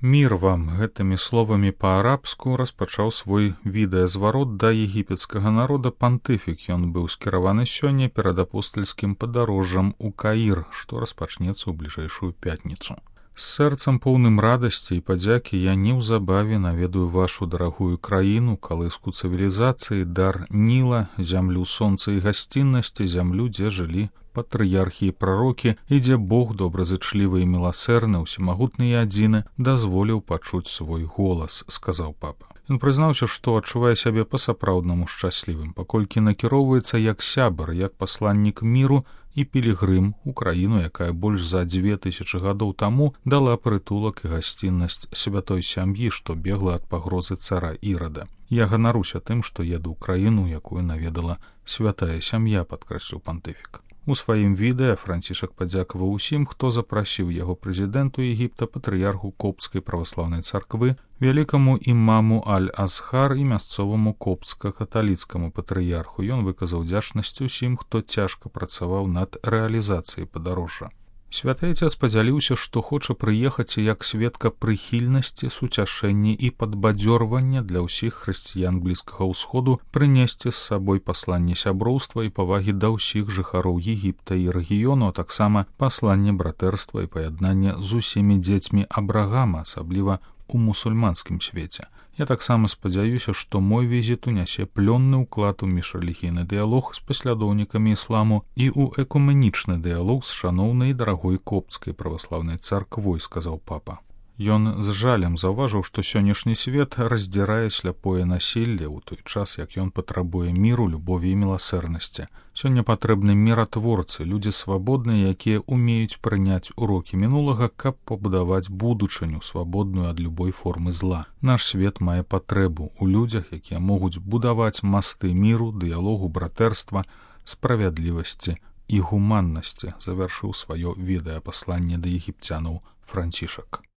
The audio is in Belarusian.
Мір вам гэтымі словамі па-арабску распачаў свой відэазварот да егіпецкага народа пантыфік. Ён быў скіраваны сёння перад апостальскім падарожжам у Каір, што распачнецца ў бліжэйшую пятніцу. З сэрцам поўным радасці і падзякі я неўзабаве наведаю вашу дарагую краіну, калыску цывілізацыі, дар Ніла, зямлю сонца і гасціннасці, зямлю, дзе жылі патрыярхі і прарокі, і дзе Бог добразычлівы і міласэрны, усемагутны і адзіны, дазволіў пачуць свой голас, сказаў папа. Ён прызнаўся, што адчувае сябе па-сапраўднаму шчаслівым, паколькі накіроўваецца як сябар, як пасланнік міру і пілігрым у краіну, якая больш за 2000 гадоў таму дала прытулак і гасціннасць святой сям'і, што бегла ад пагрозы цара Ірада. Я ганаруся тым, што еду ў краіну, якую наведала святая сям'я, падкрэсліў пантыфік. У сваім відэа Францішак падзякаваў усім, хто запрасіў яго прэзідэнту Егіпта, патрыярху Коптскай праваслаўнай царквы, вялікаму імаму Аль-Азхар і мясцоваму коптска-каталіцкаму патрыярху. Ён выказаў удзячнасць усім, хто цяжка працаваў над рэалізацыяй падарожжа. Святы Ацец падзяліўся, што хоча прыехаць як сведка прыхільнасці, суцяшэння і падбадзёрвання для ўсіх хрысціян Блізкага ўсходу, прынесці з сабой пасланне сяброўства і павагі да ўсіх жыхароў Егіпта і рэгіёну, а таксама пасланне братэрства і паяднання з усімі дзецьмі Абрагама, асабліва у мусульманскім свеце. Я таксама спадзяюся, што мой візіт унясе плённы ўклад у міжрэлігійны дыялог з паслядоўнікамі ісламу і ў экуменічны дыялог з шаноўнай і дарагой Коптскай праваслаўнай царквой, сказаў папа. Ён з жалем заўважыў, што сённяшні свет раздзірае сляпое насілле ў той час, як ён патрабуе міру, любові і міласэрнасці. Сёння патрэбны міратворцы, людзі свабодныя, якія умеюць прыняць урокі мінулага, каб пабудаваць будучыню, свабодную ад любой формы зла. Наш свет мае патрэбу ў людзях, якія могуць будаваць масты міру, дыялогу, братэрства, справядлівасці і гуманнасці, завяршыў сваё відэапасланне да егіпцянаў Францішак.